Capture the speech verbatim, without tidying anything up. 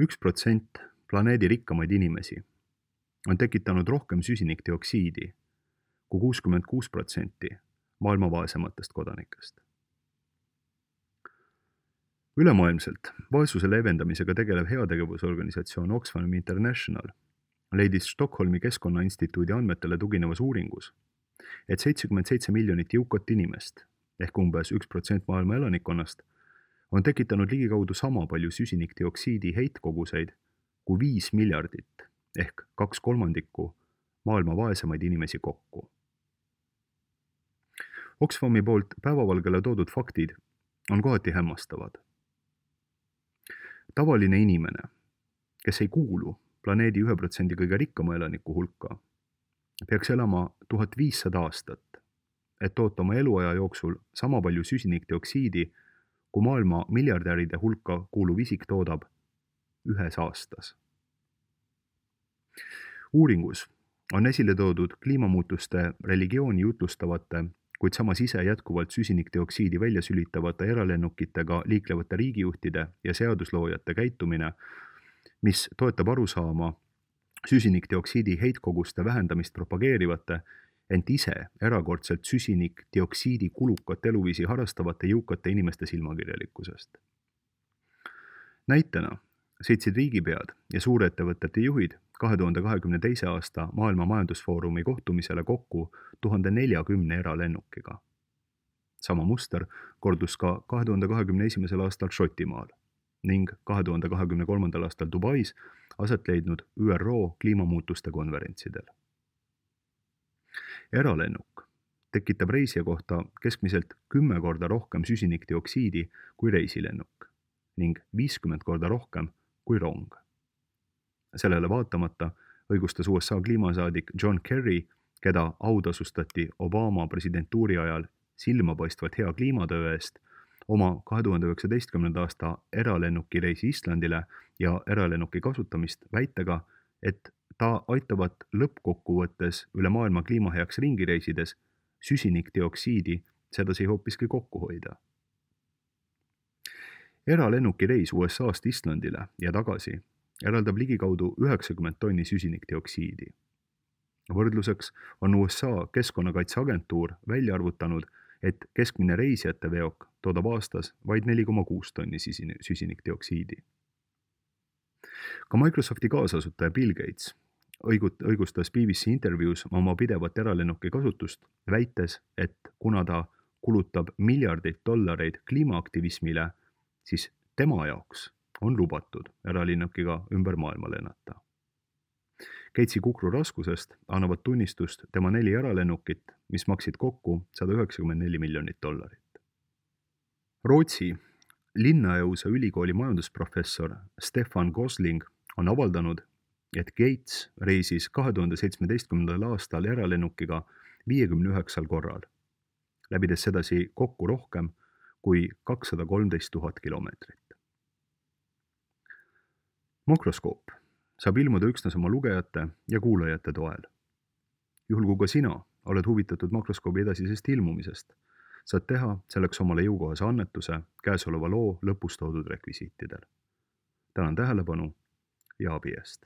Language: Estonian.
üks protsent planeedi rikkamaid inimesi on tekitanud rohkem süsinikdioksiidi kui kuuskümmend kuus protsenti maailma vaesematest kodanikest. Ülemaailmselt vaesuse leevendamisega tegelev heategevusorganisatsioon Oxfam International leidis Stockholmi Keskkonnainstituudi andmetele tuginevas uuringus, et seitsekümmend seitse miljonit jõukat inimest ehk umbes üks protsent maailma elanikkonnast on tekitanud ligikaudu sama palju süsinikdioksiidi heitkoguseid kui viis miljardit ehk kaks kolmandikku maailma vaesemaid inimesi kokku. Oxfami poolt päevavalgele toodud faktid on kohati hämmastavad. Tavaline inimene, kes ei kuulu planeedi ühe protsendi kõige rikkama elaniku hulka, peaks elama tuhat viissada aastat, et toota oma eluaja jooksul sama palju süsinikdioksiidi, kui maailma miljardäride hulka kuuluv isik toodab ühes aastas. Uuringus on esile toodud kliimamuutuste religiooni jutlustavate, kuid samas ise jätkuvalt süsinikdioksiidi välja sülitavate eralennukitega liiklevate riigijuhtide ja seadusloojate käitumine, mis toetab arusaama süsinikdioksiidi heitkoguste vähendamist propageerivate, ent ise erakordselt süsinikdioksiidi kulukat eluviisi harastavate jõukate inimeste silmakirjalikkusest. Näitena sõitsid riigipead ja suurettevõtete juhid kahe tuhande kahekümne teise aasta Maailma Majandusfoorumi kohtumisele kokku tuhande neljakümne eralennukiga. Sama muster kordus ka kahe tuhande kahekümne esimesel aastal Šotimaal ning kahe tuhande kahekümne kolmandal aastal Dubais aset leidnud Ü R O kliimamuutuste konverentsidel. Eralennuk tekitab reisija kohta keskmiselt kümme korda rohkem süsinikdioksiidi kui reisilennuk ning viiskümmend korda rohkem kui rong. Sellele vaatamata õigustas U S A kliimasaadik John Kerry, keda autasustati Obama presidentuuri ajal silmapaistvalt hea kliimatöö eest, oma kahe tuhande üheksateistkümnenda aasta eralennuki reisi Islandile ja eralennuki kasutamist väitega, et ta aitavat lõppkokkuvõttes üle maailma kliimaheaks ringireisides süsinikdioksiidi sedasi hoopiski kokku hoida. Eralennuki reis U S A-st Islandile ja tagasi eraldab ligikaudu üheksakümmend tonni süsinikdioksiidi. Võrdluseks on U S A Keskkonnakaitseagentuur välja arvutanud, et keskmine reisijate veok toodab aastas vaid neli koma kuus tonni süsinikdioksiidi. Ka Microsofti kaasasutaja Bill Gates õigustas B B C intervjuus oma pidevat eralennuki kasutust, väites, et kuna ta kulutab miljardeid dollareid kliimaaktivismile, siis tema jaoks on lubatud eralennukiga ümber maailma lennata. Gatesi kukru raskusest annavad tunnistust tema neli eralennukit, mis maksid kokku sada üheksakümmend neli miljonit dollarit. Rootsi Linnaeuse ülikooli majandusprofessor Stefan Gosling on avaldanud, et Gates reisis kahe tuhande seitsmeteistkümnendal aastal eralennukiga viiekümne üheksal korral, läbides sedasi kokku rohkem kui kakssada kolmteist tuhat kilomeetrit. Makroskoop saab ilmuda üksnes oma lugejate ja kuulajate toel. Juhul kui ka sina oled huvitatud makroskoobi edasisest ilmumisest, saad teha selleks omale jõukohase annetuse käesoleva loo lõpus toodud rekvisiitidel. Tänan tähelepanu ja abi eest!